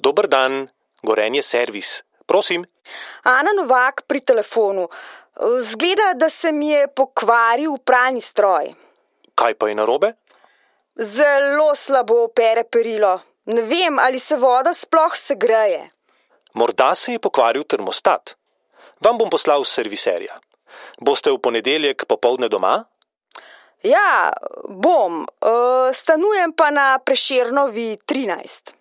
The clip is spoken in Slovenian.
Dober dan, Gorenje servis. Prosim. Ana Novak pri telefonu. Zgleda, da se mi je pokvaril pralni stroj. Kaj pa je narobe? Zelo slabo pere perilo. Ne vem, ali se voda sploh segreje. Morda se je pokvaril termostat. Vam bom poslal serviserja. Boste v ponedeljek popoldne doma? Ja, bom. Stanujem pa na Prešernovi 13.